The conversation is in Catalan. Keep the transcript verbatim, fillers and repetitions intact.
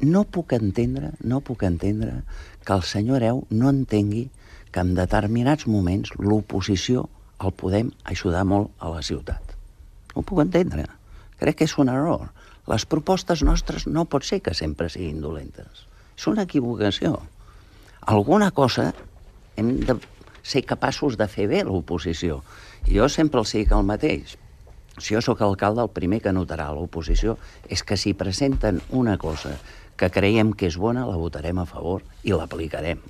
No puc entendre, no puc entendre que el senyor Hereu no entengui que en determinats moments l'oposició el podem ajudar molt a la ciutat. No ho puc entendre. Crec que és un error. Les propostes nostres no pot ser que sempre siguin dolentes. És una equivocació. Alguna cosa hem de ser capaços de fer bé l'oposició. Jo sempre els dic el mateix. Si jo sóc alcalde, el primer que notarà l'oposició és que si presenten una cosa que creiem que és bona, la votarem a favor i l'aplicarem.